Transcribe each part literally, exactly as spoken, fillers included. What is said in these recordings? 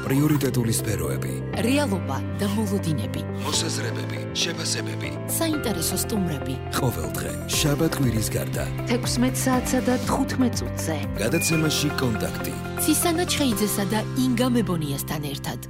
პრიორიტეტული სფეროები, რეალობა და მოლოდინები, მოსაზრებები, შეფასებები, საინტერესო სტუმრები. ყოველდღე, შაბათ-კვირის გარდა, თექვსმეტ საათსა და თხუთმეტ წუთზე. გადაცემაში კონტაქტი. ცისანა ჩხეიძესა და ინგა მებონიასთან ერთად.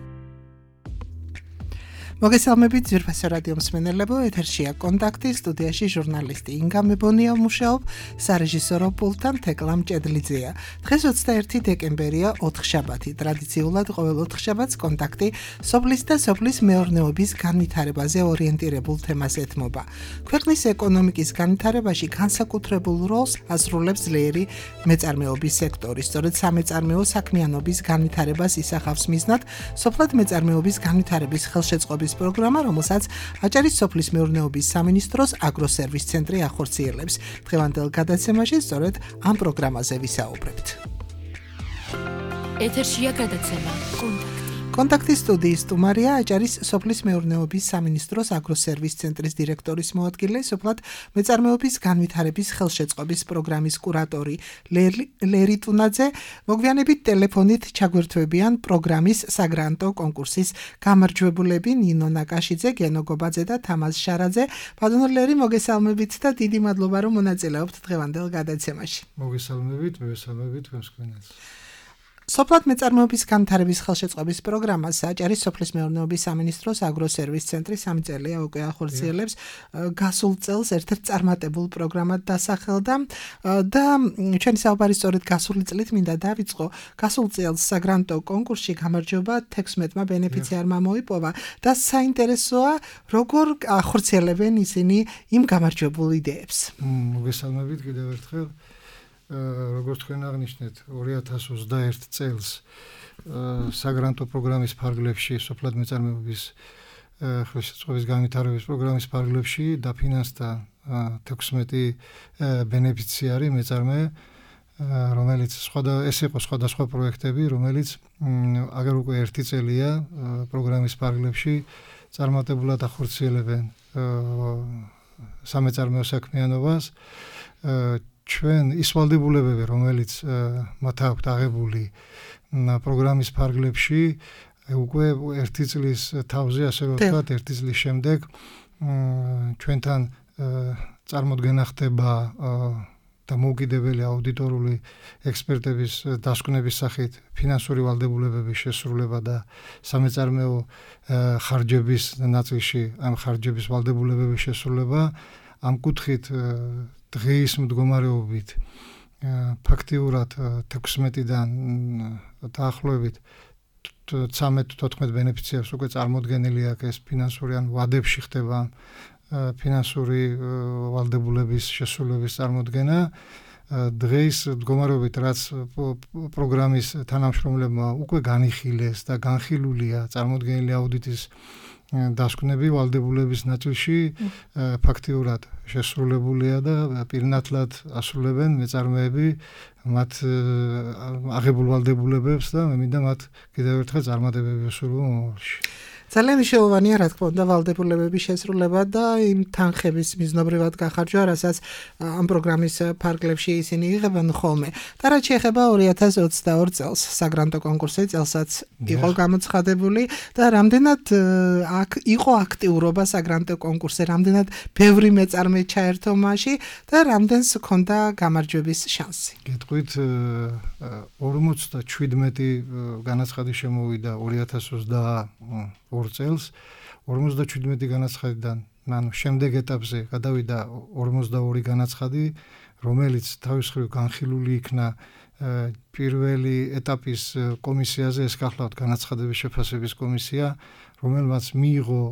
მოგესალმებით ძვირფასო რადიო მსმენელებო, ეთერშია კონტაქტი, სტუდიაში ჟურნალისტი ინგა მებონია მუშაობ, სარეჟისორო პულტთან თეკლა მჭედლიძეა. დღეს ოცდაერთი დეკემბერია, ოთხშაბათი. ტრადიციულად ყოველ ოთხშაბათს კონტაქტი სოფლის და სოფლის მეურნეობის განვითარებაზე ორიენტირებულ თემას ეთმობა. ქვეყნის ეკონომიკის განვითარებაში განსაკუთრებულ როლს ასრულებს ძლიერი მეწარმეობის სექტორი. სწორედ სამეწარმეო საქმიანობის განვითარებას ისახავს მიზნად სოფლად მეწარმეობის განვითარების ხელშეწყობის პროგრამა, რომელსაც აჭარის სოფლის მეურნეობის სამინისტროს აგროსერვის ცენტრი ახორციელებს. დღევანდელ გადაცემაში სწორედ ამ პროგრამაზე ვისაუბრებთ. ეთერშია გადაცემა კონტაქტი. კონტაქტის სტუდიის სტუმარია აჭარის სოფლის მეურნეობის სამინისტროს აგროსერვის ცენტრის დირექტორის მოადგილე, სოფლად მეწარმეობის განვითარების ხელშეწყობის პროგრამის კურატორი ლერი ტუნაძე. მოგვიანებით ტელეფონით ჩაგვერთვებიან პროგრამის საგრანტო კონკურსის გამარჯვებულები ნინო ნაკაშიძე, გენო გობაძე და თამაზ შარაძე. ბატონო ლერი, მოგესალმებით და დიდი მადლობა, რომ მონაწილეობთ დღევანდელ გადაცემაში. მოგესალმებით, მოგესალმებით თქვენს ქვეყნას. სოფლად მეწარმეობის განვითარების ხელშეწყობის პროგრამას აჭარის სოფლის მეურნეობის სამინისტროს აგროსერვის ცენტრი სამი წელია უკვე ახორციელებს. გასულ წელს ერთ-ერთ წარმატებულ პროგრამად დასახელდა და ჩვენი საუბარი სწორედ გასული წლით მინდა დავიწყო. გასულ წელს საგრანტო კონკურსში გამარჯვება თექვსმეტმა ბენეფიციარმა მოიპოვა და საინტერესოა, როგორ ახორციელებენ ისინი იმ გამარჯვებულ იდეებს. მოგესალმებით კიდევ ერთხელ. როგორც თქვენ აღნიშნეთ, ორი ათას ოცდაერთი წელს საგრანტო პროგრამის ფარგლებში, სოფლად მეწარმეობის ხელშეწყობის განვითარების პროგრამის ფარგლებში დაფინანსდა თექვსმეტი ბენეფიციარი მეწარმე, რომელიც ეს იყო სხვადასხვა პროექტები, რომელიც აგერ უკვე ერთი წელია პროგრამის ფარგლებში წარმატებულად ახორციელებენ სამეწარმეო საქმიანობას. ჩვენ ის ვალდებულებები, რომელიც მათ აქვთ აღებული პროგრამის ფარგლებში, უკვე ერთი წლის თავზე, ასე ვთქვათ, ერთი წლის შემდეგ ჩვენთან წარმოდგენა ხდება და მოუკიდებელი აუდიტორული ექსპერტების დასკვნების სახით ფინანსური ვალდებულებების შესრულება და სამეწარმეო ხარჯების ნაწილში ამ ხარჯების ვალდებულებების შესრულება. ამ კუთხით დღის მდგომარეობით ფაქტიურად თექვსმეტიდან დაახლოებით ცხრამეტ თოთხმეტ ბენეფიციარს უკვე წარმოდგენილი აქვს ეს ფინანსური ან ვადებში ხდება ფინანსური ვალდებულების შესრულების წარმოდგენა. დღეს მდგომარეობით რაც პროგრამის თანამშრომლებმა უკვე განიხილეს და განხილულია წარმოდგენილი აუდიტის დასკვნები ვალდებულების ნაწილში ფაქტიურად შესრულებულია და პირნათლად ასრულებენ მეწარმეები მათ აღებულ ვალდებულებებს და მე მინდა მათ კიდევ ერთხელ წარმატებები ვესურვო მომავალში. ძალიან მნიშვნელოვანია, რა თქმა უნდა, ვალდებულებების შესრულება და იმ თანხების მიზნობრივად გახარჯვა, რასაც ამ პროგრამის ფარგლებში ისინი იღებენ ხოლმე. და რაც შეეხება ორი ათას ოცდაორ წელს, საგრანტო კონკურსი წელსაც იყო გამოცხადებული და რამდენად აქ იყო აქტიურობა საგრანტო კონკურსზე, რამდენად ბევრი მეწარმე ჩაერთო მასში და რამდენს ჰქონდა გამარჯვების შანსი. გეტყვით, ორმოცდაშვიდმეტი განაცხადი შემოვიდა ორი ათას ოცდაორ წელს, ორმოცდაშვიდმეტი განაცხადიდან, ანუ შემდეგ ეტაპზე გადავიდა ორმოცდაორი განაცხადი, რომელიც თავის მხრივ განხილული იქნა პირველი ეტაპის კომისიაზე, ეს გახლავთ განაცხადების შეფასების კომისია, რომელმაც მიიღო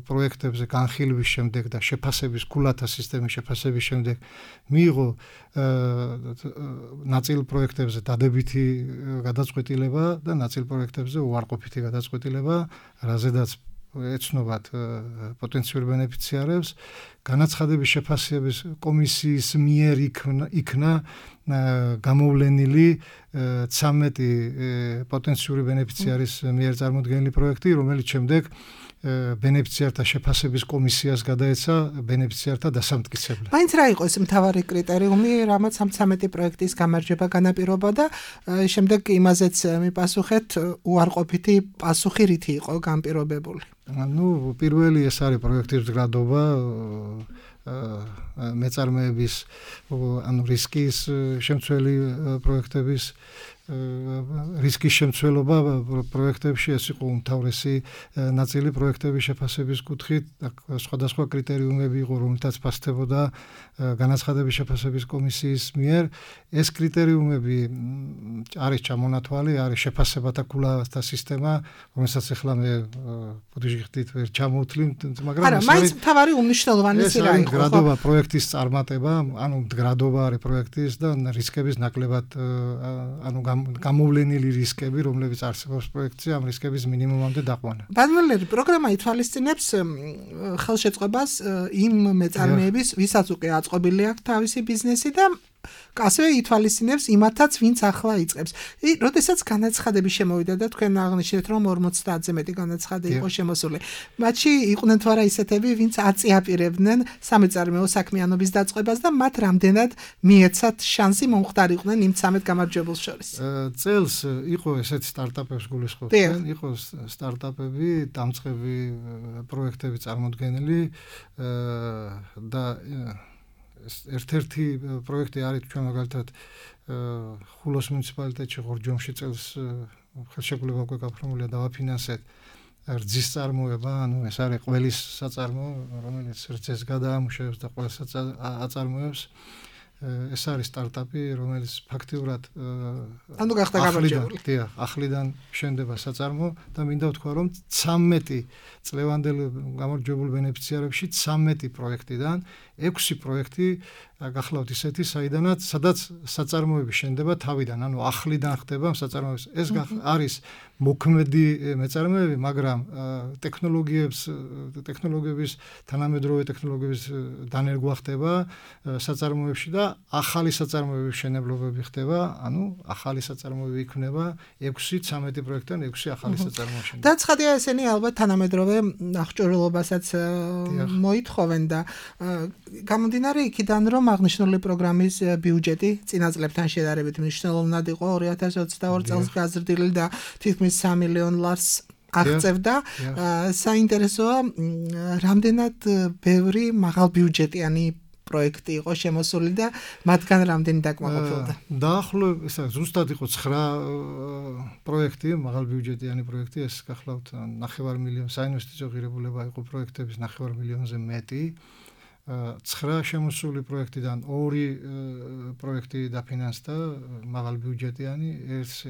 პროექტებზე განხილვის შემდეგ და შეფასების ქულათა სისტემის შეფასების შემდეგ მიიღო ნაწილ პროექტებზე დადებითი გადაწყვეტილება და ნაწილ პროექტებზე უარყოფითი გადაწყვეტილება, რაზედაც ეცნობათ პოტენციურ ბენეფიციარებს. განაცხადების შეფასების კომისიის მიერ იქნა გამოვლენილი ცამეტი პოტენციური ბენეფიციარის მიერ წარმოდგენილი პროექტი, რომელიც შემდეგ ბენეფიციართა შეფასების კომისიას გადაეცა ბენეფიციართა დასამტკიცებლად. მაინც რა იყო ეს მთავარი კრიტერიუმი, რამაც ამ ცამეტი პროექტის გამარჯვება განაპირობოდა, შემდეგ იმაზეც მიპასუხეთ უარყოფითი პასუხი რითი იყო განპირობებული. ну პირველი ეს არის პროექტის მდგრადობა მეწარმეების ანუ რისკის შემცველი პროექტების რისკის შემცველობა პროექტებში ეს იყო უმთავრესი ნაწილი პროექტების შეფასების კუთხით სხვადასხვა კრიტერიუმები იყო რომელთაც ფასდებოდა განაცხადების შეფასების კომისიის მიერ ეს კრიტერიუმები არის ჩამონათვალი არის შეფასებათა კულავასთა სისტემა რომელსაც ახლა მე ბუდიჟიხდით ვერ ჩამოვთვლი მაგრამ არა მაინც მთავარი უმნიშვნელოვანესი რა იყო მდგრადობა პროექტის წარმატება ანუ მდგრადობა არის პროექტის და რისკების ნაკლებად ანუ გამოვლენილი რისკები, რომლებიც არსებობს პროექტზე, ამ რისკების მინიმუმამდე დაყვანა. ბადმელერი პროგრამა ითვალისწინებს ხელშეწყობას იმ მეწარმეების, ვისაც უკვე აწყობილი აქვს თავისი ბიზნესი და ასევე ითვალისწინებს იმათაც, ვინც ახლა იწყებს. როდესაც განაცხადები შემოვიდა და თქვენ აღნიშნეთ, რომ ორმოცდაათზე მეტი განაცხადი იყო შემოსული. მათში იყვნენ თუ არა ისეთები, ვინც აწიაპირებდნენ სამეწარმეო საქმიანობის დაწყებას და მათ რამდენად მიეცათ შანსი მომხდარიყვნენ იმ ცამეტ გამარჯვებულს შორის. წელს იყო ესეთი სტარტაპებს გულისხმობდნენ, იყო სტარტაპები, დამწყები პროექტები წარმოდგენილი და ერთ-ერთი პროექტი არის ჩვენ მაგალითად ხულოს მუნიციპალიტეტში ღორჯომში წელს ხელშეკრულება უკვე გაფორმულია დავაფინანსეთ რძის წარმოება, ანუ ეს არის ყველის საწარმო, რომელიც რძეს გადაამუშავებს და ყველს აწარმოებს. ეს არის სტარტაპი, რომელიც ფაქტიურად ანუ გახდა გამარჯვებული. დიახ, ახლიდან შენდება საწარმო და მინდა ვთქვა, რომ ცამეტი წლევანდელ გამარჯვებულ ბენეფიციარებში ცამეტი პროექტიდან ექვსი პროექტი გახლავთ ისეთი, საიდანაც სადაც საწარმოები შენდება თავიდან, ანუ ახლიდან ხდება საწარმოების. ეს არის მოქმედი მეწარმეები, მაგრამ ტექნოლოგიებს, ტექნოლოგიების თანამედროვე ტექნოლოგიების დანერგვა ხდება საწარმოებში და ახალი საწარმოების შენებლობები ხდება, ანუ ახალი საწარმოები იქნება ექვსი ცამეტი პროექტიდან ექვსი ახალი საწარმოები შენდება. და ცხადია ესენი ალბათ თანამედროვე აღჭურვილობასაც მოითხოვენ და გამომდინარე იქიდან, რომ აღნიშნული პროგრამის ბიუჯეტი წინა წლებთან შედარებით მნიშვნელოვნად იყო ორი ათას ოცდაორი წელს გაზრდილი და თითქმის სამი მილიონ ლარს აღწევდა. საინტერესოა, რამდენად ბევრი მაღალბიუჯეტიანი პროექტი იყო შემოსული და მათგან რამდენი დაკმაყოფილდა. დაახლოებით ეს ზუსტად იყო ცხრა პროექტი, მაღალბიუჯეტიანი პროექტი, ეს გახლავთ ნახევარ მილიონ საინვესტიციო ღირებულება იყო პროექტების ნახევარ მილიონზე მეტი. ცხრა შემოსული პროექტიდან ორი პროექტი დაფინანსდა მაღალბიუჯეტიანი,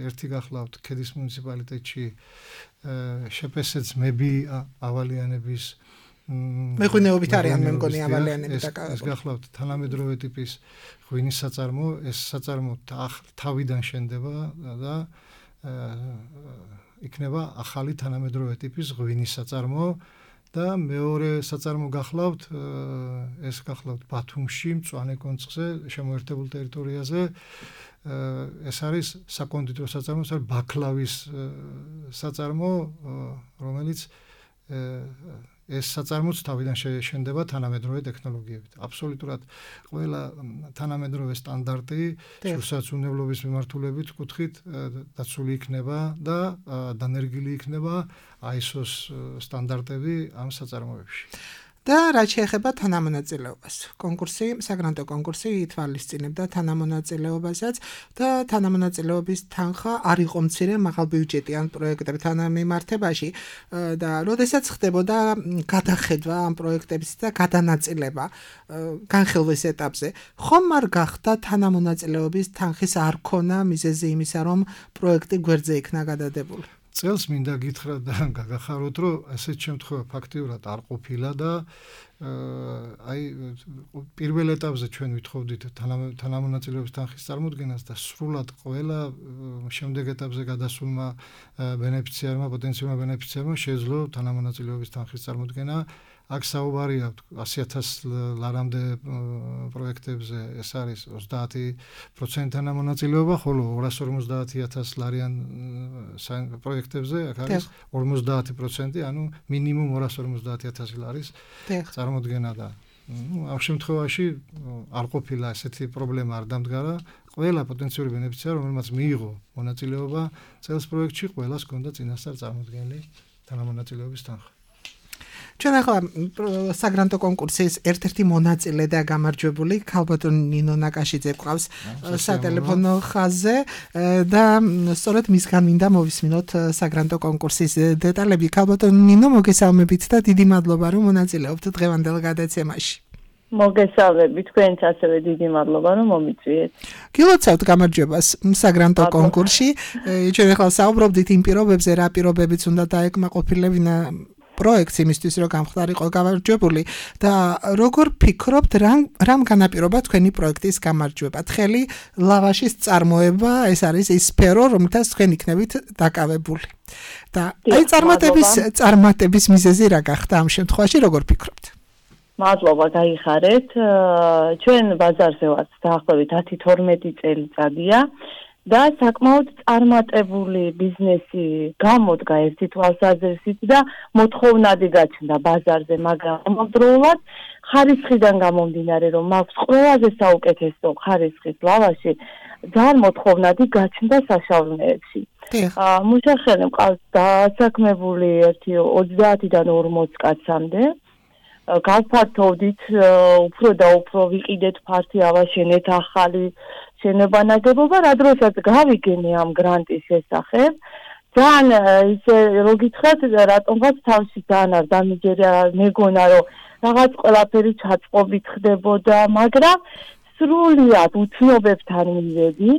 ერთი გახლავთ ქედის მუნიციპალიტეტში შეფესეც მები ავალიანების მეღვინეობით არიან მე მგონი ავალიანები დაკავებული. ეს გახლავთ თანამედროვე ტიპის ღვინის საწარმო, ეს საწარმო თავიდან შენდება და იქნება ახალი თანამედროვე ტიპის ღვინის საწარმო. და მეორე საწარმო გახლავთ ეს გახლავთ ბათუმში მწვანე კონცხზე შემოერთებულ ტერიტორიაზე ეს არის საკონდიტრო საწარმო, ეს არის ბაკლავის საწარმო, რომელიც ეს საწარმოც თავიდან შენდება თანამედროვე ტექნოლოგიებით. აბსოლუტურად ყველა თანამედროვე სტანდარტი სულსაძუნებლობის მიმართულებით კუთხით დაცული იქნება და დანერგილი იქნება აი ეს ოს სტანდარტები ამ საწარმოებში. და რაც შეეხება თანამონაწილეობას. კონკურსი, საგრანტო კონკურსი ითვალისწინებდა თანამონაწილეობასაც და თანამონაწილეობის თანხა არ იყო მცირე მაღალბიუჯეტიან პროექტებთან მიმართებაში და როდესაც ხდებოდა გადახედვა ამ პროექტების და გადანაწილება განხილვის ეტაპზე, ხომ არ გახდა თანამონაწილეობის თანხის არ ქონა მიზეზი იმისა, რომ პროექტი გვერდზე იქნა გადადებული? წელს მინდა გითხრათ და გაგახაროთ, რომ ასეთ შემთხვევა ფაქტიურად არ ყოფილა და აი პირველ ეტაპზე ჩვენ ვითხოვდით თანამონაწილეობის თანხის წარმოდგენას და სრულად ყველა შემდეგ ეტაპზე გადასულმა ბენეფიციარმა, პოტენციალურმა ბენეფიციარმა შეძლო თანამონაწილეობის თანხის წარმოდგენა. აქ საუბარია ასი ათას ლარამდე პროექტებზე ეს არის ოცდაათი პროცენტი თანამონაწილეობა, ხოლო ორას ორმოცდაათი ათას ლარიან პროექტებზე აქ არის ორმოცდაათი პროცენტი, ანუ მინიმუმ ორას ორმოცდაათი ათასი ლარის წარმოდგენა და ну, ამ შემთხვევაში არ ყოფილა ესეთი პრობლემა არ დამდგარა. ყველა პოტენციური ბენეფიციარი, რომელმაც მიიღო მონაწილეობა წელს პროექტში, ყველას ჰქონდა წინასწარ წარმოდგენილი თანამონაწილეობის თანხა. ჩვენ ახლა საგრანტო კონკურსის ერთ-ერთი მონაწილე და გამარჯვებული ქალბატონი ნინო ნაკაშიძე გვყავს სატელეფონო ხაზზე და სწორედ მისგან მინდა მოვისმინოთ საგრანტო კონკურსის დეტალები. ქალბატონი ნინო, მოგესალმებით და დიდი მადლობა, რომ მონაწილეობთ დღევანდელ გადაცემაში. მოგესალმები, თქვენც ასევე დიდი მადლობა, რომ მომიწვიეთ. გილოცავთ გამარჯვებას საგრანტო კონკურსში. ჩვენ ახლა საუბრობდით იმ პირობებზე, რა პირობებიც უნდა დაეკმაყოფილებინა პროექტს იმისთვის, რომ გამხდარიყო გამარჯვებული და როგორ ფიქრობთ, რამ განაპირობა თქვენი პროექტის გამარჯვება? თხელი ლავაშის წარმოება, ეს არის ის სფერო, რომლითაც თქვენ იქნებით დაკავებული. და აი წარმატების წარმატების მიზეზი რა გახდა ამ შემთხვევაში, როგორ ფიქრობთ? მადლობა, გაიხარეთ. ჩვენ ბაზარზე ვართ დაახლოებით ათი თორმეტი წელიწადია და საკმაოდ წარმატებული ბიზნესი გამოდგა ერთი თვალსაზრისით და მოთხოვნადი გაჩნდა ბაზარზე, მაგრამ ამავდროულად ხარისხიდან გამომდინარე, რომ მაქვს ყველაზე საუკეთესო ხარისხის ლავაში, ძალიან მოთხოვნადი გაჩნდა საშუალებებში. მუშახელი მყავს დასაქმებული ერთი ოცდაათიდან ორმოც კაცამდე. გავფართოვდით უფრო და უფრო ვიყიდეთ ფართი ავაშენეთ ახალი შენობა ნაგებობა, რა დროსაც გავიგენე ამ გრანტის შესახებ, ძალიან ისე რო გითხრათ, რატომღაც თავში ძალიან არ დამიჯერა, მეგონა რომ რაღაც ყველაფერი ჩაწყობით ხდებოდა, მაგრამ სრულიად უცნობებთან მივედი.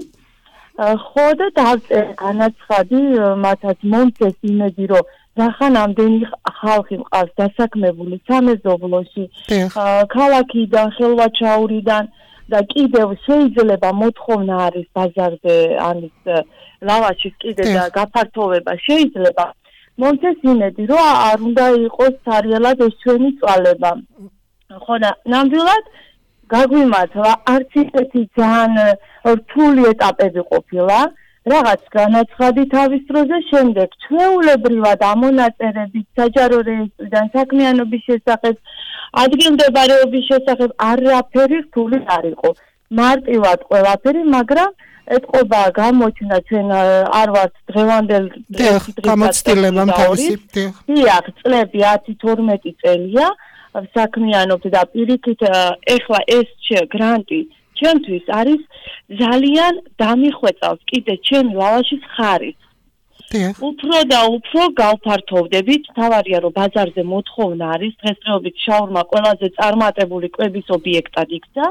ხო და დავწერე განაცხადი, მათაც მომწეს იმედი, რომ რახან ამდენი ხალხი მყავს დასაქმებული სამეზობლოში, ქალაქიდან, ხელვაჩაურიდან და კიდევ შეიძლება მოთხოვნა არის ბაზარზე, ანის ლავაშის კიდე და გაფართოვება შეიძლება. მომწეს იმედი, რომ არ უნდა იყოს სარიალად ეს ჩვენი წვალება. ხო და ნამდვილად გაგვიმართლა, არც ისეთი ძალიან რთული ეტაპები ყოფილა. რაღაც განაცხადი თავის დროზე, შემდეგ ჩვეულებრივად ამონაწერებით საჯარო რეესტრიდან საქმიანობის შესახებ, ადგილმდებარეობის შესახებ არაფერი რთული არ იყო. მარტივად ყველაფერი, მაგრამ ეთყობა გამოჩნდა ჩვენ არ ვართ დღევანდელ გამოცდილებამ თავისი. დიახ, წლები ათი თორმეტი წელია საქმიანობთ და პირიქით ეხლა ეს გრანტი ჩემთვის არის ძალიან დამიხვეწავს კიდე ჩემი ლავაშის ხარისხს. უფრო და უფრო გავფართოვდებით, თავარია რომ ბაზარზე მოთხოვნა არის, დღესდღეობით შაურმა ყველაზე წარმატებული კვების ობიექტად იქცა.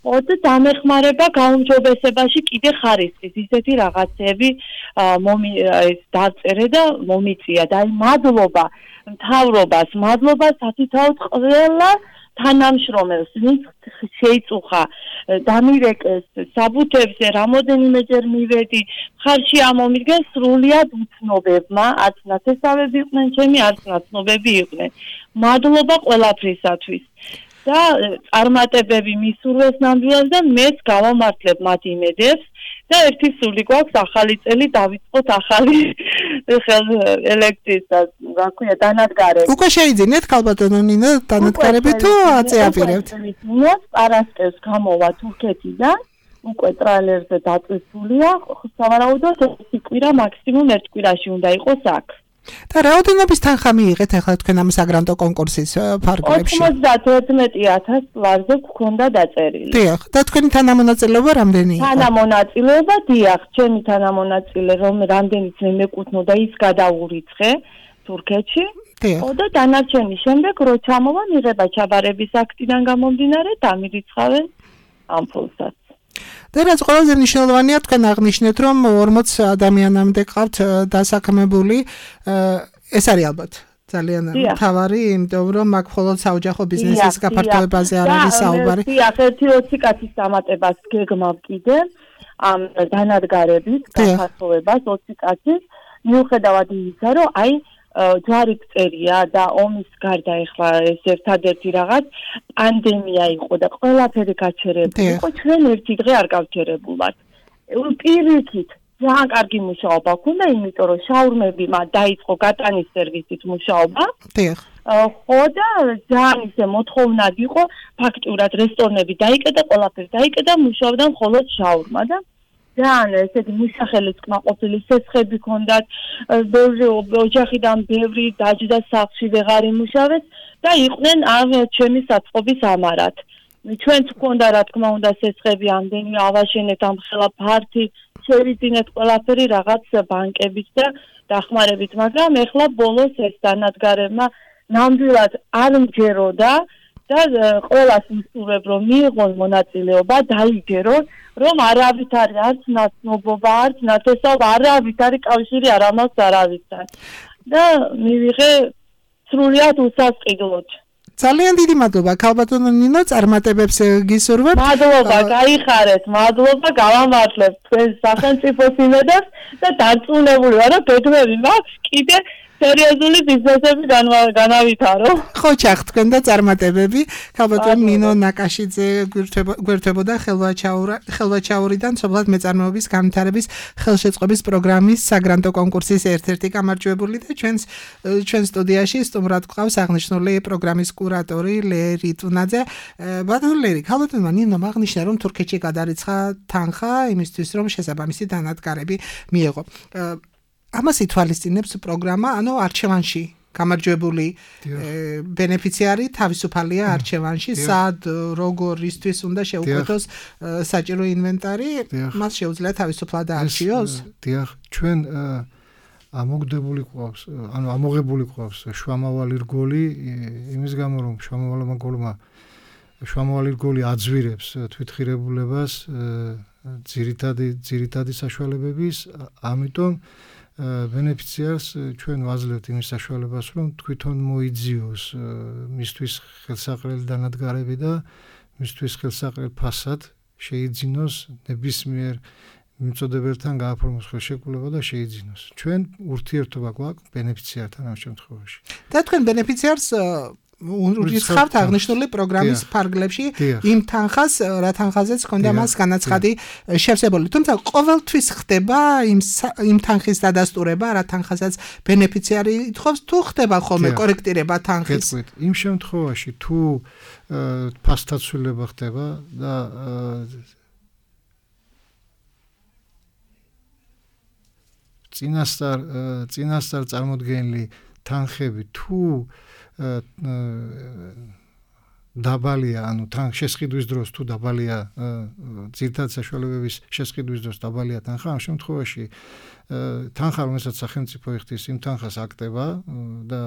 ხო და დამეხმარება გაუმჯობესებაში კიდე ხარისხის ისეთი რაღაცები დავწერე და მომიწია და აი მადლობა მთავრობას, მადლობა სათითაოდ ყველა თანამშრომელს, ვინც შეიწუხა დამირეკეს საბუთებზე, რამოდენიმეჯერ მივედი, მხარში ამომიდგენ სრულიად უცნობებმა, არც ნათესავები იყვნენ ჩემი, არც ნაცნობები იყვნენ. მადლობა ყველაფრისათვის. და წარმატებები მისურვეს ნამდვილად და მეც გავამართლებ მათ იმედებს და ერთი სული გვაქვს ახალი წელი დავიწყოთ ახალი ელექტრის და რა ქვია დანადგარები. უკვე შეიძინეთ ქალბატონო ნინო დანადგარები თუ აწეაპირებთ? ნინოს პარასკევს გამოვა თურქეთიდან, უკვე ტრალერზე დაწესულია, სავარაუდოდ ერთი კვირა მაქსიმუმ ერთ კვირაში უნდა იყოს აქ. და რაოდენობის თანხა მიიღეთ ახლა თქვენ ამ საგრანტო კონკურსის ფარგლებში? ოცდათერთმეტი ათასი ლარზე გქონდა დაწერილი. დიახ, და თქვენი თანამონაწილეობა რამდენი იყო? თანამონაწილეობა, დიახ, ჩემი თანამონაწილე რომ რამდენიც მე მეკუთვნოდა ის გადაურიცხე თურქეთში. ხო და დანარჩენი შემდეგ რო ჩამოვა მიღება ჩაბარების აქტიდან გამომდინარე დამირიცხავენ ამ ფულსაც. და რაც ყველაზე მნიშვნელოვანია, თქვენ აღნიშნეთ, რომ ორმოც ადამიანამდე ყავთ დასაქმებული, ეს არის ალბათ ძალიან მთავარი, იმიტომ რომ აქ მხოლოდ საოჯახო ბიზნესის გაფართოებაზე არ არის საუბარი. დიახ, ერთი ოცი კაცის დამატებას გეგმავ კიდე ამ დანადგარების გაფართოებას ოცი კაცის, მიუხედავად იმისა, რომ აი ჯვარი წერია და ომის გარდა ეხლა ეს ერთადერთი რაღაც პანდემია იყო და ყველაფერი გაჩერებული იყო, ჩვენ ერთი დღე არ გავჩერებულად. პირიქით ძალიან კარგი მუშაობა ქონდა, იმიტომ რომ შაურმები მათ დაიწყო გატანის სერვისით მუშაობა. დიახ. ხო და ძალიან ისე მოთხოვნად იყო, ფაქტურად რესტორნები დაიკეტა, ყველაფერი დაიკეტა, მუშაობდა მხოლოდ შაურმა და ძალიან ესეთი მუშახელის კმაყოფილი სესხები ქონდათ, ბევრი ოჯახიდან ბევრი დაჯდა სახლში ვეღარ იმუშავეს და იყვნენ ამ ჩემი საწყობის ამარად. ჩვენც გქონდა რა თქმა უნდა სესხები ამდენი ავაშენეთ ამ ხელა ფართი შევიძინეთ ყველაფერი რაღაც ბანკებით და დახმარებით, მაგრამ ეხლა ბოლოს ეს დანადგარებმა ნამდვილად არ მჯეროდა და ყველას ვისურვებ რომ მიიღონ მონაწილეობა, დაიჯერონ რომ არავით არის არც ნაცნობობა, არც ნათესაობა, არავით არის კავშირი არ ამას არავისთან და მივიღე სრულიად უსასყიდლოდ. ძალიან დიდი მადლობა ქალბატონო ნინო, წარმატებებს გისურვებ. მადლობა, გაიხარეთ, მადლობა, გავამართლებთ თქვენ სახელმწიფოს იმედებს და დარწმუნებული ვარ რომ ბედნები მაქვს კიდე სერიოზული ბიზნესები განავითარო. ხო ჩახტქვენ და წარმატებები. ქალბატონო ნინო ნაკაშიძე გვერდებოდა ხელვაჩაურიდან სოფლად მეწარმეობის განვითარების ხელშეწყობის პროგრამის საგრანტო კონკურსის ერთ-ერთი გამარჯვებული და ჩვენს ჩვენ სტუდიაში სტუმრად გვყავს აღნიშნული პროგრამის კურატორი ლერი ტუნაძე. ბატონო ლერი, ქალბატონმა ნინომ აღნიშნა რომ თურქეთში გადარიცხა თანხა იმისთვის რომ შესაბამისი დანადგარები მიეღო. ამას ითვალისწინებს პროგრამა, ანუ არჩევანში გამარჯვებული ბენეფიციარი თავისუფალია არჩევანში, სად როგორ ისთვის უნდა შეუკვეთოს საჭირო ინვენტარი, მას შეუძლია თავისუფლად არჩიოს. დიახ, ჩვენ ამოგდებული ყავს, ანუ ამოღებული ყავს შუამავალი რგოლი, იმის გამო რომ შუამავალმა რგოლმა შუამავალი რგოლი აძვირებს თვითღირებულებას ძირითადი ძირითადი საშუალებების, ამიტომ ბენეფიციარს ჩვენ ვაძლევთ იმის საშუალებას, რომ თვითონ მოიძიოს მისთვის ხელსაყრელი დანადგარები და მისთვის ხელსაყრელ ფასად შეიძინოს ნებისმიერ მიმწოდებელთან გააფორმოს ხელშეკრულება და შეიძინოს. ჩვენ ურთიერთობა გვაქვს ბენეფიციართან ამ შემთხვევაში. და თქვენ ბენეფიციარს ურიცხავთ აღნიშნული პროგრამის ფარგლებში იმ თანხას, რა თანხაზეც ჰქონდა მას განაცხადი შევსებული. თუმცა ყოველთვის ხდება იმ იმ თანხის დადასტურება, რა თანხაზეც ბენეფიციარი ითხოვს, თუ ხდება ხოლმე კორექტირება თანხის. გეტყვით, იმ შემთხვევაში თუ ფასდაცვლილება ხდება და წინასწარ წინასწარ წარმოდგენილი თანხები თუ დაბალია, ანუ თან შესყიდვის დროს თუ დაბალია ძირითადი საშუალებების შესყიდვის დროს დაბალია თანხა, ამ შემთხვევაში თანხა, რომელსაც სახელმწიფო იხდის, იმ თანხას აკტება და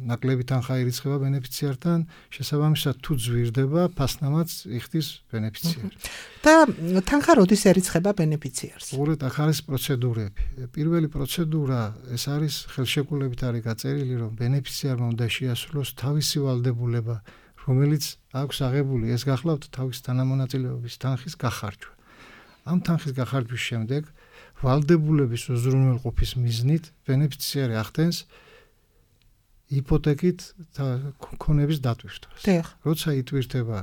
ნაკლები თანხა ირიცხება ბენეფიციართან, შესაბამისად თუ ძვირდება, ფასნამაც იხდის ბენეფიციარი. და თანხა როდის ერიცხება ბენეფიციარს? უბრალოდ ახ არის პროცედურები. პირველი პროცედურა ეს არის ხელშეკრულებით არის გაწერილი, რომ ბენეფიციარმა უნდა შეასრულოს თავისი ვალდებულება, რომელიც აქვს აღებული, ეს გახლავთ თავის თანამონაწილეობის თანხის გახარჯვა. ამ თანხის გახარჯვის შემდეგ ვალდებულების უზრუნველყოფის მიზნით ბენეფიციარი ახდენს იპოთეკით ქონების დატვირთვას. როცა იტვირთება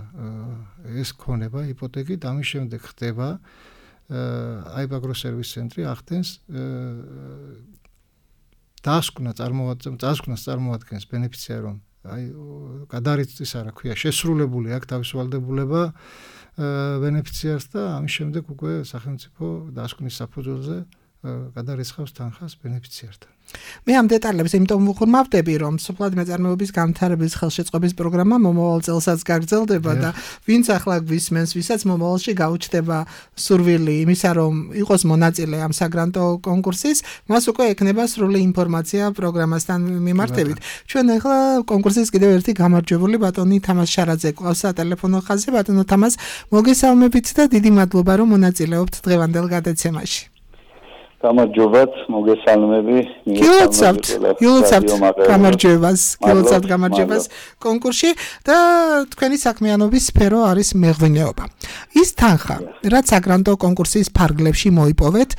ეს ქონება იპოთეკით, ამის შემდეგ ხდება აიპაგროს ცენტრი ახდენს დასკვნა წარმოადგენს დასკვნას წარმოადგენს ბენეფიციარი, რომ აი გადარიცდის არა ქვია შესრულებული აქვს თავის ვალდებულება ბენეფიციარს და ამის შემდეგ უკვე სახელმწიფო დასკვნის საფუძველზე გადარიცხავს თანხას ბენეფიციართან. მე ამ დეტალებს იმიტომ ვუღრმავდები, რომ სოფლად მეწარმეობის განვითარების ხელშეწყობის პროგრამა მომავალ წელსაც გაგრძელდება და ვინც ახლა გვისმენს, ვისაც მომავალში გაუჩნდება სურვილი იმისა, რომ იყოს მონაწილე ამ საგრანტო კონკურსის, მას უკვე ექნება სრული ინფორმაცია პროგრამასთან მიმართებით. ჩვენ ახლა კონკურსის კიდევ ერთი გამარჯვებული ბატონი თამაზ შარაძე ყავს სატელეფონო ხაზზე. ბატონო თამაზ, მოგესალმებით და დიდი მადლობა, რომ მონაწილეობთ დღევანდელ გადაცემაში. გამარჯობათ, მოგესალმები. გილოცავთ, გილოცავთ გამარჯვებას, გილოცავთ გამარჯვებას კონკურსში და თქვენი საქმიანობის სფერო არის მეღვინეობა. ის თანხა, რაც საგრანტო კონკურსის ფარგლებში მოიპოვეთ,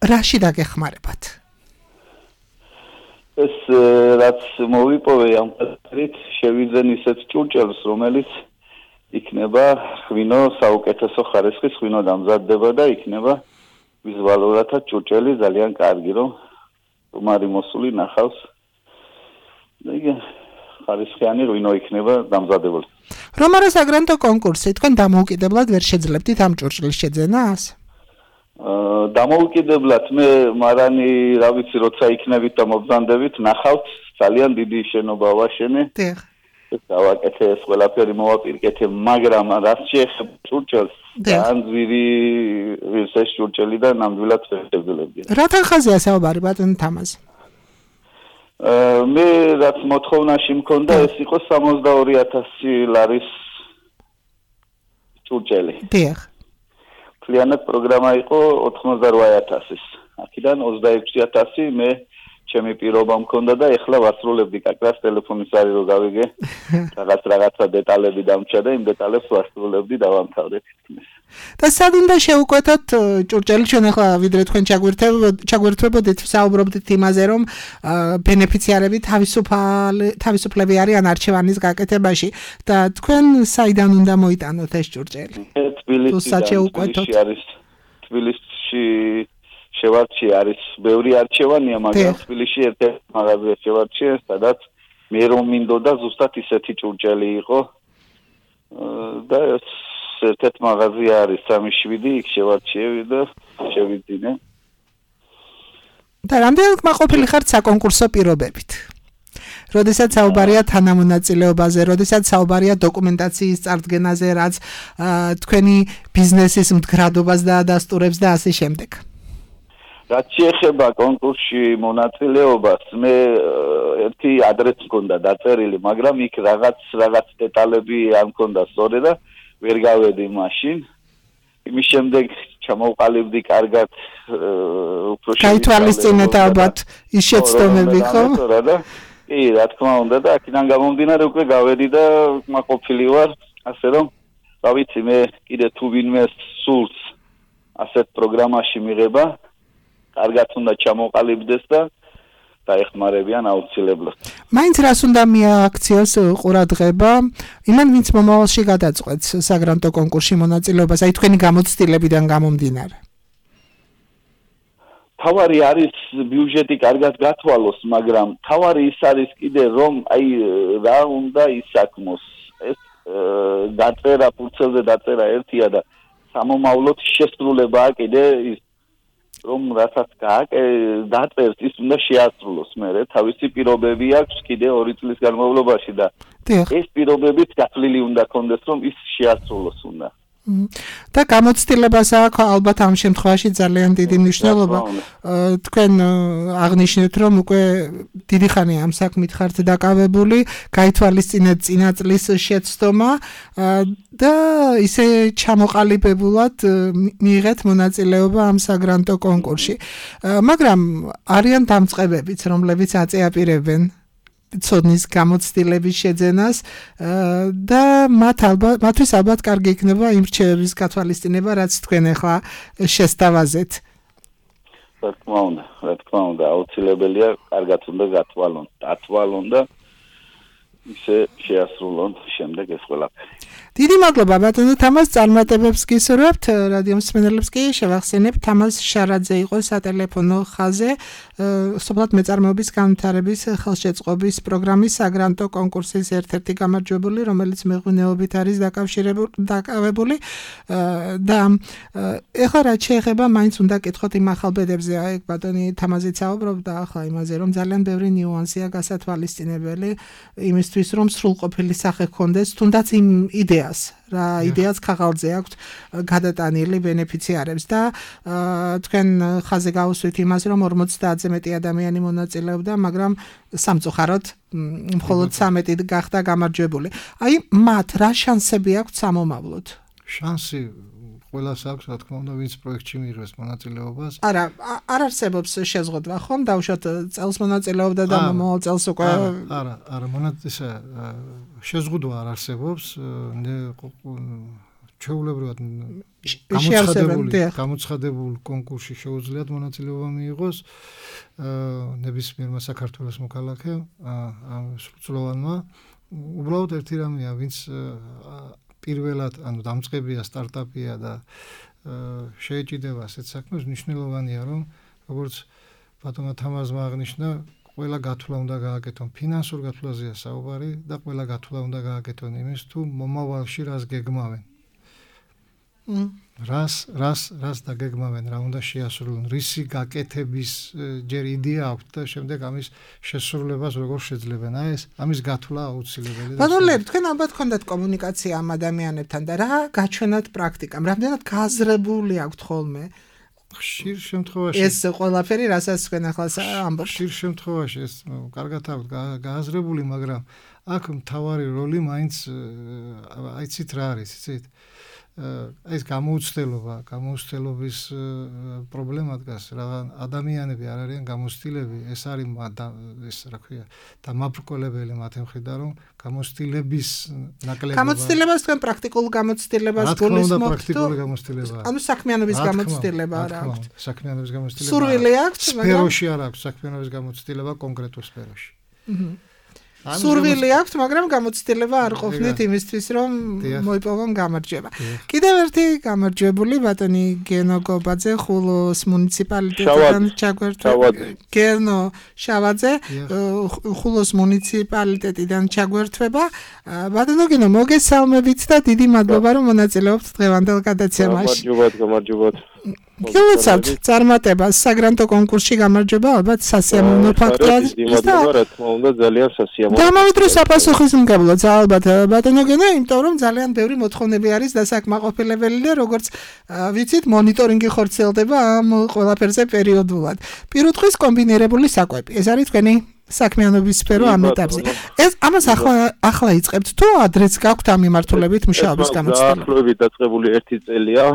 რაში დაგეხმარებათ? ეს რაც მოვიპოვე ამ ფერით, შევიძენ ისეთ ჭურჭელს, რომელიც იქნება ღვინო საუკეთესო ხარისხის ღვინო დამზადდება და იქნება ვიზუალურადაც ჭურჭელი ძალიან კარგი, რომ სტუმარი მოსული ნახავს. და იგი ხარისხიანი რუინო იქნება დამზადებული. რომ არა საგრანტო კონკურსი, თქვენ დამოუკიდებლად ვერ შეძლებდით ამ ჭურჭლის შეძენას? აა დამოუკიდებლად მე მარანი რა ვიცი როცა იქნებით და მობრძანდებით ნახავთ ძალიან დიდი შენობა ვაშენე. დიახ. ეს დავაკეთე ეს ყველაფერი მოვაპირკეთე, მაგრამ რაც შეეხება ჭურჭელს, ძალიან ძვირი ეს ჭურჭელი და ნამდვილად ვერ შევძლებდი. რა თანხაზეა საუბარი ბატონო თამაზ? აა მე რაც მოთხოვნაში მქონდა ეს იყო სამოცდაორი ათასი ლარის ჭურჭელი. დიახ. მთლიანად პროგრამა იყო ოთხმოცდარვა ათასის. აქედან ოცდაექვსი ათასი მე ჩემი პირობა მქონდა და ეხლა ვასრულებდი კაკრას ტელეფონის არის რომ გავიგე. რაღაც რაღაცა დეტალები დამჭა და იმ დეტალებს ვასრულებდი და დავამთავრე თითქმის. და სად უნდა შევუკვეთოთ ჭურჭელი ჩვენ ახლა ვიდრე თქვენ ჩაგვერთვებოდით საუბრობდით იმაზე რომ ბენეფიციარები თავისუფალი თავისუფლები არიან არჩევანის გაკეთებაში და თქვენ საიდან უნდა მოიტანოთ ეს ჭურჭელი? თბილისში არის თბილისში შევარჩი არის ბევრი არჩევანია, მაგრამ თბილისში ერთ-ერთი მაღაზია შევარჩიე, სადაც მე რომ მინდოდა ზუსტად ისეთი ჭურჭელი იყო და ერთ-ერთი მაღაზია არის სამი შვიდი, იქ შევარჩიევი და შევიძინე. და რამდენად კმაყოფილი ხართ საკონკურსო პირობებით? როდესაც საუბარია თანამონაწილეობაზე, როდესაც საუბარია დოკუმენტაციის წარდგენაზე, რაც თქვენი ბიზნესის მდგრადობას დაადასტურებს და ასე შემდეგ. რაც შეეხება კონკურსში მონაწილეობას, მე ერთი ადრესი მქონდა დაწერილი, მაგრამ იქ რაღაც რაღაც დეტალები არ მქონდა სწორი და ვერ გავედი მაშინ. იმის შემდეგ ჩამოვყალიბდი კარგად უფრო გაითვალისწინეთ ალბათ ის შეცდომები, ხო? კი, რა თქმა უნდა და აქედან გამომდინარე უკვე გავედი და კმაყოფილი ვარ, ასე რომ, რა ვიცი, მე კიდე თუ ვინმე სულს ასეთ პროგრამაში მიღება კარგად უნდა ჩამოყალიბდეს და დაეხმარებიან აუცილებლად. მაინც რას უნდა მიაქციოს ყურადღება იმან ვინც მომავალში გადაწყვეტს საგრანტო კონკურსში მონაწილეობას, აი თქვენი გამოცდილებიდან გამომდინარე. თავარი არის ბიუჯეტი კარგად გათვალოს, მაგრამ თავარი ის არის კიდე რომ აი რა უნდა ისაქმოს. ეს დაწერა ფურცელზე დაწერა ერთია და სამომავლოდ შესრულებაა კიდე ის რომ რასაც გააკე დაწერს ის უნდა შეასრულოს მერე თავისი პირობები აქვს კიდე ორი წლის განმავლობაში და ეს პირობებიც გათვლილი უნდა კონდეს რომ ის შეასრულოს უნდა და გამოცდილებას აქვს ალბათ ამ შემთხვევაში ძალიან დიდი მნიშვნელობა. თქვენ აღნიშნეთ რომ უკვე დიდი ხანია ამ საქმით ხართ დაკავებული, გაითვალისწინეთ წინა წლის შეცდომა და ისე ჩამოყალიბებულად მიიღეთ მონაწილეობა ამ საგრანტო კონკურსში. მაგრამ არიან დამწყებებიც, რომლებიც აწეაპირებენ ცოდნის გამოცდილების შეძენას და მათ ალბათ მათთვის ალბათ კარგი იქნება იმ რჩევების გათვალისწინება, რაც თქვენ ახლა შესთავაზეთ. რა თქმა უნდა, რა თქმა უნდა, აუცილებელია კარგად უნდა გათვალონ, დათვალონ და ისე შეასრულონ შემდეგ ეს ყველაფერი. დიდი მადლობა ბატონო თამაზ, წარმატებებს გისურვებთ. რადიო მსმენელებს კი შევახსენებთ, თამაზ შარაძე იყო სატელეფონო ხაზზე სოფლად მეწარმეობის განვითარების ხელშეწყობის პროგრამის საგრანტო კონკურსის ერთ-ერთი გამარჯვებული, რომელიც მეღვინეობით არის დაკავებული და ეხლა რაც შეეხება მაინც უნდა კითხოთ იმ ახალბედებზე, აი ბატონი თამაზიც საუბრობდა ახლა იმაზე, რომ ძალიან ბევრი ნიუანსია გასათვალისწინებელი იმისთვის, რომ სრულყოფილი სახე ჰქონდეს, თუნდაც იმ იდეას რა იდეაც ხაღალზე აქვს გადატანილი ბენეფიციარებს და თქვენ ხაზე გავუსვით იმას რომ ორმოცდაათზე მეტი ადამიანი მონაწილეობდა, მაგრამ სამწუხაროდ მხოლოდ სამეტი გახდა გამარჯვებული. აი მათ რა შანსები აქვს სამომავლოდ? შანსი ყველას აქვს, რა თქმა უნდა, ვინც პროექტში მიიღებს მონაწილეობას. არა, არ არსებობს შეზღუდვა, ხომ? დავუშვათ წელს მონაწილეობდა და მომავალ წელს უკვე არა, არა, მონაწილე შეზღუდვა არ არსებობს. ჩვეულებრივად გამოცხადებული გამოცხადებულ კონკურსში შეუძლიათ მონაწილეობა მიიღოს ნებისმიერმა საქართველოს მოქალაქემ, სრულწლოვანმა. უბრალოდ ერთი რამეა, ვინც პირველად, ანუ დამწყებია, სტარტაპია და შეეჭიდება ასეთ საქმეს, მნიშვნელოვანია რომ როგორც ბატონმა თამაზმა აღნიშნა, ყველა გათვლა უნდა გააკეთონ ფინანსურ გათვლაზეა საუბარი და ყველა გათვლა უნდა გააკეთონ იმის თუ მომავალში რას გეგმავენ. რას რას რას დაგეგმავენ, რა უნდა შეასრულონ, რისი გაკეთების ჯერ იდეა აქვთ და შემდეგ ამის შესრულებას როგორ შეძლებენ. აი ეს ამის გათვლა აუცილებელია. ბატონო, თქვენ ალბათ გქონდათ კომუნიკაცია ამ ადამიანებთან და რა გაჩვენათ პრაქტიკამ, რამდენად გააზრებული აქვთ ხოლმე? ხშირ შემთხვევაში ეს ყველაფერი, რასაც თქვენ ახლა ამბობთ. ხშირ შემთხვევაში ეს კარგად აქვთ გააზრებული, მაგრამ აქ მთავარი როლი მაინც აიცით რა არის, იცით? ეს გამოუცდელობა, გამოუცდელობის პრობლემა დგას. რა ადამიანები არ არიან გამოცდილები, ეს არის ეს რა ქვია, დამაბრკოლებელი მათი მხრიდან, რომ გამოცდილების ნაკლებობა. გამოცდილებას თქვენ პრაქტიკულ გამოცდილებას გულისხმობთ? პრაქტიკული გამოცდილება. ანუ საქმიანობის გამოცდილება არ აქვთ. საქმიანობის გამოცდილება. სურვილი აქვთ, მაგრამ სფეროში არ აქვს საქმიანობის გამოცდილება კონკრეტულ სფეროში. სურვილი აქვთ, მაგრამ გამოცდილება არ ყოფნით იმისთვის, რომ მოიპოვონ გამარჯვება. კიდევ ერთი გამარჯვებული ბატონი გენო გობაძე, ხულოს მუნიციპალიტეტიდან ჩაგვერთვება. გენო შავაძე, ხულოს მუნიციპალიტეტიდან ჩაგვერთვება. ბატონო გენო, მოგესალმებით და დიდი მადლობა, რომ მონაწილეობთ დღევანდელ გადაცემაში. გამარჯვებათ, გამარჯვებათ. გილოცავთ წარმატებას საგრანტო კონკურსში გამარჯვება ალბათ სასიამოვნო ფაქტია. მადლობა, რა თქმა უნდა, ძალიან სასიამოვნო. და ამავდრო საპასუხისმგებლოც ალბათ ბატონო გენო, იმიტომ რომ ძალიან ბევრი მოთხოვნები არის დასაკმაყოფილებელი და როგორც ვიცით, მონიტორინგი ხორციელდება ამ ყველაფერზე პერიოდულად. პირუტყვის კომბინირებული საკვები. ეს არის თქვენი საქმიანობის სფერო ამ ეტაპზე. ეს ამას ახლა ახლა იწყებთ თუ ადრეც გაქვთ ამ მიმართულებით მუშაობის გამოცდილება? ახლობებით დაწყებული ერთი წელია.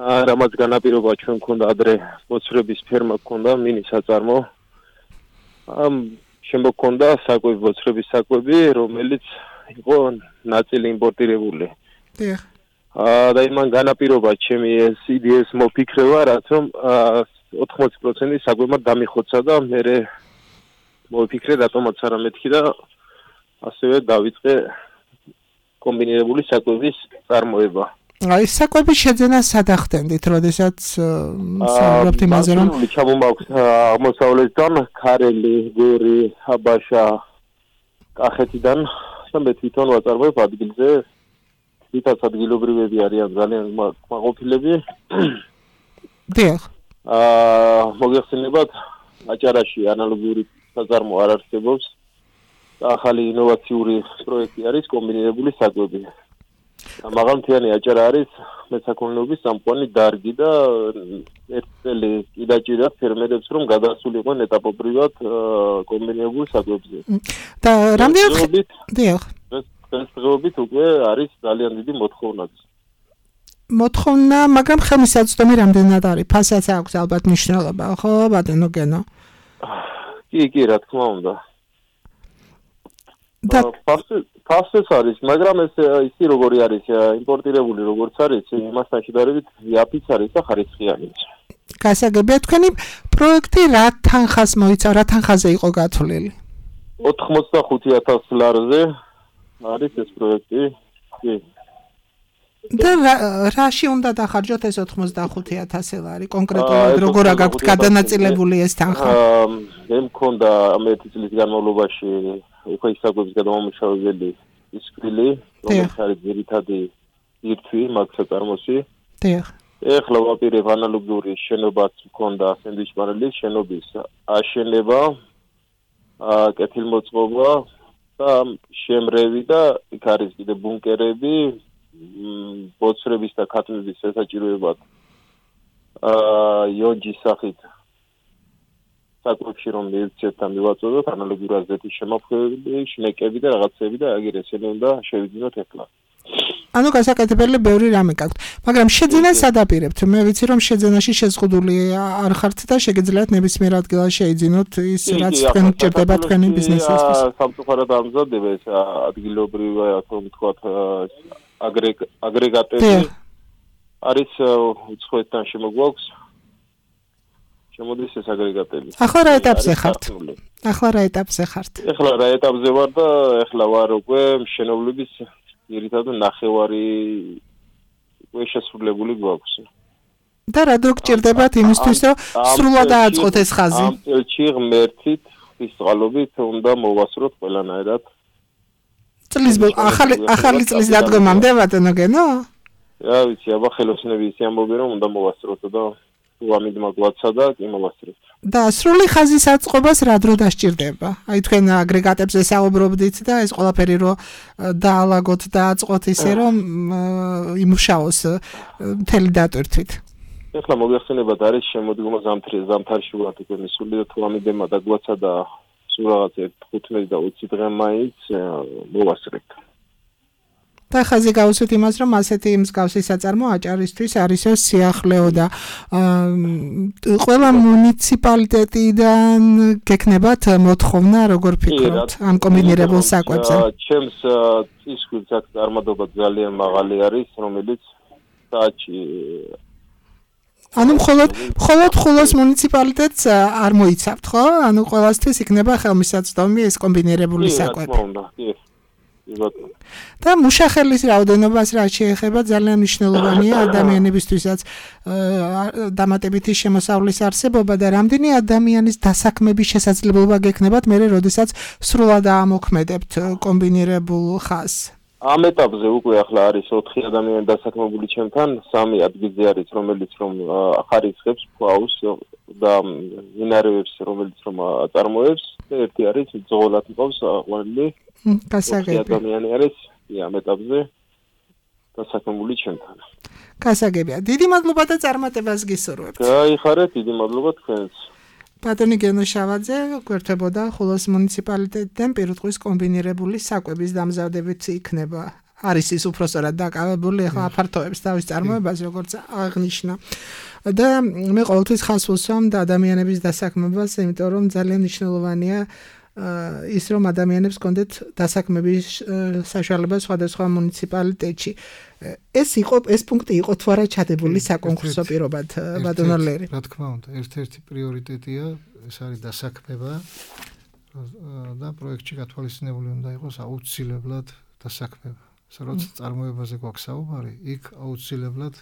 რამაც განაპირობა ჩვენ გქონდა ადრე მოცვრების ფერმა გქონდა მინი საწარმო. ამ შემდგომ გქონდა საკვები მოცვრების საკვები, რომელიც იყო ნაწილი იმპორტირებული. დიახ. აა და იმან განაპირობა ჩემი ეს იდეის მოფიქრება, რაც რომ ოთხმოცი პროცენტი საკვებმა დამიხოცა და მე მოფიქრე რატომაც არა მეთქი და ასევე დავიწყე კომბინირებული საკვების წარმოება. აი საკვების შეძენა სადახდენდით, როდესაც საუბრობთ იმაზე, რომ ჩამომაქვს აღმოსავლეთიდან, ქარელი, გორი, აბაშა, კახეთიდან და მე თვითონ ვაწარმოებ ადგილზე. თვითონ ადგილობრივები არიან ძალიან მაყოფილები. დიახ. აა მოგეხსენებათ, აჭარაში ანალოგიური საწარმო არ არსებობს. ახალი ინოვაციური პროექტი არის კომბინირებული საკვები. მაღალმთიანი აჭარა არის მესაქონლეობის სამყარო დარგი და ერთ წელი კი დაჭირდა ფერმერებს რომ გადასულიყვნენ ეტაპობრივად კომბინირებულ საკვებზე. და რამდენად დიახ. ეს დღეობით უკვე არის ძალიან დიდი მოთხოვნაც. მოთხოვნა, მაგრამ ხელმისაწვდომი რამდენად არის? ფასაც აქვს ალბათ მნიშვნელობა, ხო, ბატონო გენო? კი, კი, რა თქმა უნდა. და ფასეს არის, მაგრამ ეს ისი როგორი არის, იმპორტირებული როგორც არის, იმასთან შედარებით იაფიც არის და ხარისხიანიც. გასაგებია, თქვენი პროექტი რა თანხას მოიცა, რა თანხაზე იყო გათვლილი? ოთხმოცდახუთი ათას ლარზე არის ეს პროექტი. კი. და რაში უნდა დახარჯოთ ეს ოთხმოცდახუთი ათასი ლარი? კონკრეტულად როგორ გაქვთ გადანაწილებული ეს თანხა? მე მქონდა ერთი წლის განმავლობაში უკვე ისაკვების გადამამუშავებელი ისკრილი, რომელიც არის ძირითადი ირთვი მაგ საწარმოში. დიახ. ეხლა ვაპირებ ანალოგიური შენობაც მქონდა სენდვიჩ-პანელის შენობის აშენება, კეთილმოწყობა და შემრევი და იქ არის კიდე ბუნკერები, ბოცრების და ქათმების შესაჭიროებად აა იონჯის სახით საკვებში რომ მივცეთ და მივაწოდოთ ანალოგური აზრეთის შემოქმედები, შნეკები და რაღაცები და აგერ ესენი უნდა შევიძინოთ ეხლა. ანუ გასაკეთებელი ბევრი რამე გაქვთ, მაგრამ შეძენა სადაპირებთ. მე ვიცი რომ შეძენაში შეზღუდული არ ხართ და შეგიძლიათ ნებისმიერ ადგილას შეიძინოთ ის რაც თქვენ გჭირდება თქვენი ბიზნესისთვის. სამწუხაროდ ამზადება ეს ადგილობრივი ასე ვთქვათ აგრეგატები არის უცხოეთთან შემოგვაქვს. შემოდის ეს აგრეგატები. ახლა რა ეტაპზე ხართ? ახლა რა ეტაპზე ხართ? ახლა რა ეტაპზე ვარ და ახლა ვარ უკვე მშენებლობის ძირითადად ნახევარი უკვე შესრულებული გვაქვს. და რა დრო გჭირდებათ იმისთვის, რომ სრულად დააწყოთ ეს ხაზი? ამ წელში ღმერთით, ხის წყალობით უნდა მოვასწროთ ყველანაირად. წლის ახალი ახალი წლის დადგომამდე ბატონო გენო? რა ვიცი, აბა ხელოსნები ისე ამბობენ, რომ უნდა მოვასწროთ და თუ ამით მაგვაცა და კი მოვასწროთ. და სრული ხაზის აწყობას რა დრო დასჭირდება? აი თქვენ აგრეგატებზე საუბრობდით და ეს ყველაფერი რო დაალაგოთ და აწყოთ ისე რომ იმუშაოს მთელი დატვირთვით. ეხლა მოიხსენებათ არის შემოდგომა ზამთარში ვართ უკვე მისული და თუ ამიდემა დაგვაცა და სულ რაღაც თხუთმეტი და ოცი დღე მაინც მოვასწრებთ. და ხაზი გავუსვით იმას, რომ ასეთი მსგავსი საწარმო აჭარისთვის არის სიახლეო და ყველა მუნიციპალიტეტიდან გექნებათ მოთხოვნა, როგორ ფიქრობთ ამ კომბინირებულ საკვებზე? ჩემს წისქვილს აქ წარმატება ძალიან მაღალი არის, რომელიც საჭი ანუ მხოლოდ მხოლოდ ხულოს მუნიციპალიტეტს არ მოიცავთ, ხო? ანუ ყველასთვის იქნება ხელმისაწვდომი ეს კომბინირებული საკვები. და მუშახელის რაოდენობას რა შეეხება ძალიან მნიშვნელოვანია ადამიანებისთვისაც დამატებითი შემოსავლის არსებობა და რამდენი ადამიანის დასაქმების შესაძლებლობა გექნებათ მერე როდესაც სრულად აამოქმედებთ კომბინირებულ ხაზს? ამ ეტაპზე უკვე ახლა არის ოთხი ადამიანი დასაქმებული ჩემთან, სამი ადგილზე არის, რომელიც რომ ახარიცხებს ფაუს და მინარევებს, რომელიც რომ აწარმოებს, და ერთი არის ძღოლად მყავს ყვანილი. გასაგები. ადამიანი არის ამ ეტაპზე დასაქმებული ჩემთან. გასაგებია. დიდი მადლობა და წარმატებას გისურვებთ. გაიხარეთ, დიდი მადლობა თქვენს. ბატონი გენო შავაძე გვერდებოდა ხულოს მუნიციპალიტეტიდან პირუტყვის კომბინირებული საკვების დამზადებით იქნება. არის ის უпроსორად დაკავებული ახლა აფართოებს თავის წარმოებას, როგორც აღნიშნა. და მე ყოველთვის ხაზს ვუსვამ და ადამიანების დასაქმებას, იმიტომ რომ ძალიან მნიშვნელოვანია ის რომ ადამიანებს კონდეთ დასაქმების საშუალება სხვადასხვა მუნიციპალიტეტში. ეს იყო ეს პუნქტი იყო თუ არა ჩადებული საკონკურსო პირობად ბატონო ლერი? რა თქმა უნდა, ერთ-ერთი პრიორიტეტია ეს არის დასაქმება და პროექტში გათვალისწინებული უნდა იყოს აუცილებლად დასაქმება. როცა წარმოებაზე გვაქვს საუბარი, იქ აუცილებლად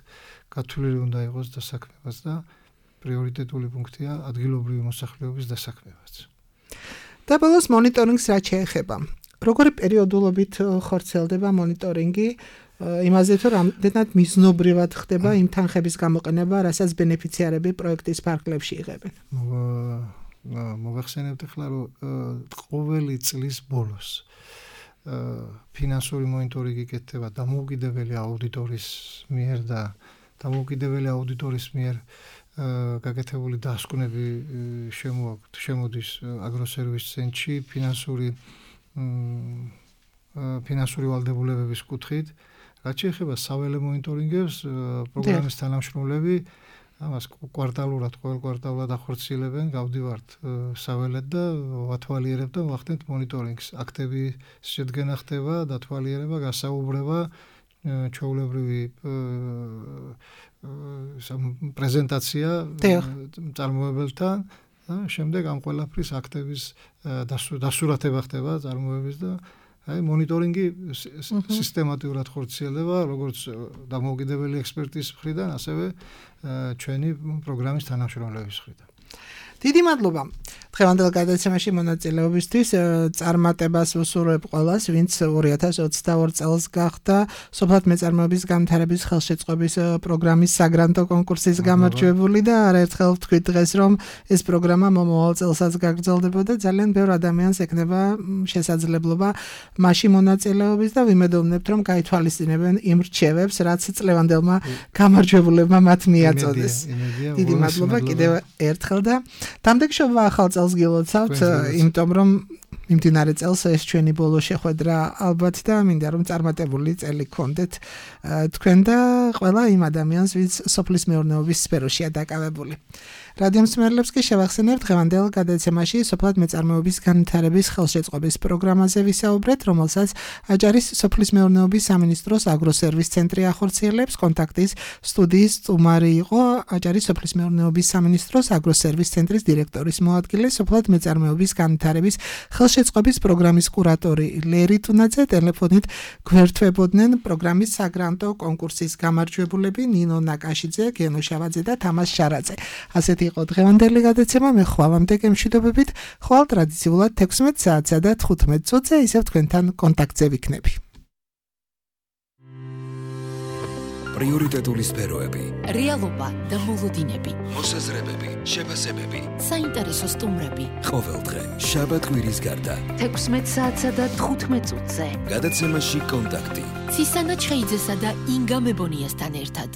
გათვლილი უნდა იყოს დასაქმებაც და პრიორიტეტული პუნქტია ადგილობრივი მოსახლეობის დასაქმებაც. და ბოლოს მონიტორინგს რა შეეხება? როგორი პერიოდულობით ხორციელდება მონიტორინგი იმაზე თუ რამდენად მიზნობრივად ხდება იმ თანხების გამოყენება, რასაც ბენეფიციარები პროექტის ფარგლებში იღებენ? მოგახსენებთ ახლა რომ ყოველი წლის ბოლოს ფინანსური მონიტორინგი გეკეთება დამოუკიდებელი აუდიტორის მიერ და დამოუკიდებელი აუდიტორის მიერ გაკეთებული დასკვნები შემოაქვთ შემოდის აგროსერვის ცენტრში ფინანსური ფინანსური ვალდებულებების კუთხით. რაც შეეხება საველე მონიტორინგებს, პროგრამის თანამშრომლები ამას კვარტალურად, ყოველ კვარტალურად ახორციელებენ, გავდივართ საველედ და ვათვალიერებთ და ვახდენთ მონიტორინგს. აქტების შედგენა ხდება, დათვალიერება, გასაუბრება, ჩვეულებრივი პრეზენტაცია წარმოებელთან და შემდეგ ამ ყველაფრის აქტების დასურათება ხდება წარმოების და აი მონიტორინგი სისტემატურად ხორციელდება როგორც დამოუკიდებელი ექსპერტის მხრიდან, ასევე ჩვენი პროგრამის თანამშრომლების მხრიდან. დიდი მადლობა. დღევანდელ გადაცემაში მონაწილეობისთვის წარმატებას ვუსურვებ ყველას, ვინც ორი ათას ოცდაორი წელს გახდა სოფლად მეწარმოების განვითარების ხელშეწყობის პროგრამის საგრანტო კონკურსის გამარჯვებული და არაერთხელ ვთქვით დღეს, რომ ეს პროგრამა მომავალ წელსაც გაგრძელდებოდა. ძალიან ბევრ ადამიანს ექნება შესაძლებლობა მასში მონაწილეობის და ვიმედოვნებთ, რომ გაითვალისწინებენ იმ რჩევებს, რაც წლევანდელმა გამარჯვებულებმა მათ მიაწოდეს. დიდი მადლობა კიდევ ერთხელ და დამდეგშობა ახალ წელს გილოცავთ, იმიტომ რომ მიმდინარე წელს ეს ჩვენი ბოლო შეხვედრა ალბათ და მინდა რომ წარმატებული წელი გქონდეთ თქვენ და ყველა იმ ადამიანს, ვინც სოფლის მეურნეობის სფეროშია დაკავებული. რადიო მსმენელებს კი შევახსენებთ დღევანდელ გადაცემაში სოფლად მეწარმოების განვითარების ხელშეწყობის პროგრამაზე ვისაუბრეთ, რომელსაც აჭარის სოფლის მეურნეობის სამინისტროს აგროსერვის ცენტრი ახორციელებს. კონტაქტის სტუდიის სტუმარი იყო აჭარის სოფლის მეურნეობის სამინისტროს აგროსერვის ცენტრის დირექტორის მოადგილე, სოფლად მეწარმოების განვითარების ხელშეწყობის პროგრამის კურატორი ლერი თუნაძე, ტელეფონით გვერდთვებოდნენ პროგრამის საგრანტო კონკურსის გამარჯვებულები ნინო ნაკაშიძე, გენო შავაძე და თამას შარაძე. ასეთი იყო დღევანდელი გადაცემა. მე ხვალამდე გემშვიდობებით. ხვალ ტრადიციულად თექვსმეტ საათსა და თხუთმეტ წუთზე ისევ თქვენთან კონტაქტზე ვიქნები. პრიორიტეტული სფეროები, რეალობა და მოლოდინები, მოსაზრებები, შეფასებები, საინტერესო სტუმრები. ყოველდღე შაბათ კვირის გარდა თექვსმეტ საათსა და თხუთმეტ წუთზე. გადაცემაში კონტაქტი. ცისანა ჩხეიძესა და ინგა მებონიასთან ერთად.